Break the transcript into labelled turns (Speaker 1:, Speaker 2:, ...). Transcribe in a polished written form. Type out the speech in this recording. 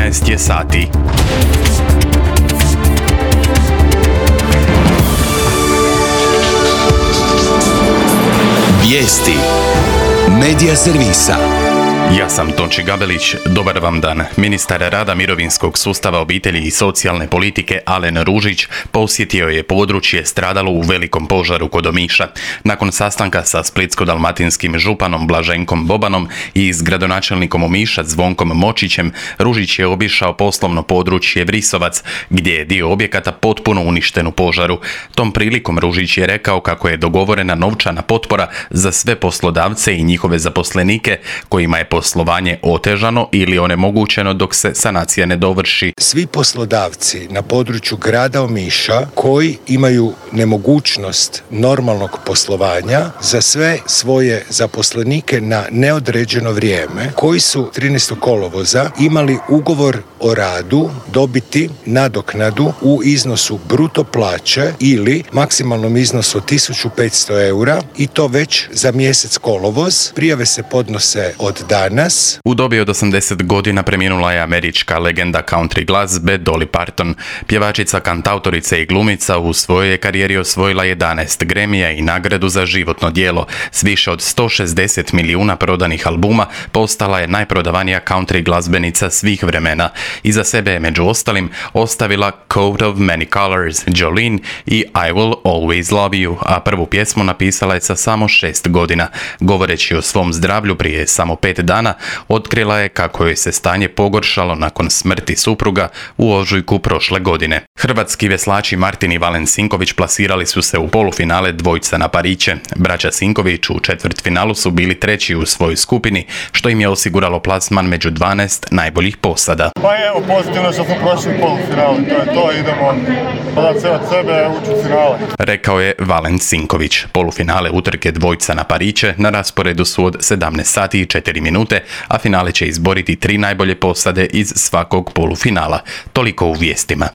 Speaker 1: 11 je sati.
Speaker 2: Vijesti Medija servisa.
Speaker 1: Ja sam Tonči Gabelić, dobar vam dan. Ministar rada, mirovinskog sustava, obitelji i socijalne politike Alen Ružić posjetio je područje stradalo u velikom požaru kod Omiša. Nakon sastanka sa splitsko-dalmatinskim županom Blaženkom Bobanom i s gradonačelnikom Omiša Zvonkom Močićem, Ružić je obišao poslovno područje Vrisovac, gdje je dio objekata potpuno uništen u požaru. Tom prilikom Ružić je rekao kako je dogovorena novčana potpora za sve poslodavce i njihove zaposlenike kojima je poslovanje otežano ili onemogućeno dok se sanacija ne dovrši.
Speaker 3: Svi poslodavci na području grada Omiša koji imaju nemogućnost normalnog poslovanja za sve svoje zaposlenike na neodređeno vrijeme, koji su 13. kolovoza imali ugovor o radu dobiti nadoknadu u iznosu bruto plaće ili maksimalnom iznosu 1500 eura i to već za mjesec kolovoz. Prijave se podnose od danas.
Speaker 1: U dobi od 80 godina preminula je američka legenda country glazbe Dolly Parton. Pjevačica, kantautorica i glumica u svojoj je karijeri osvojila 11 Gramija i nagradu za životno djelo. S više od 160 milijuna prodanih albuma postala je najprodavanija country glazbenica svih vremena. Iza sebe je među ostalim ostavila Coat of Many Colors, Jolene i I Will Always Love You, a prvu pjesmu napisala je sa samo 6 godina. Govoreći o svom zdravlju prije samo 5 dana, otkrila je kako joj se stanje pogoršalo nakon smrti supruga u ožujku prošle godine. Hrvatski veslači Martin i Valen Sinković plasirali su se u polufinale dvojca na Pariće. Braća Sinković u četvrtfinalu su bili treći u svojoj skupini, što im je osiguralo plasman među 12 najboljih posada.
Speaker 4: Pa evo, pozitivno što smo prošli polufinale, to je to, idemo podat sve od sebe, ući u finale.
Speaker 1: Rekao je Valen Sinković. Polufinale utrke dvojca na Pariće na rasporedu su od 17 sati i 4 minute, a finale će izboriti 3 najbolje posade iz svakog polufinala. Toliko u vijestima.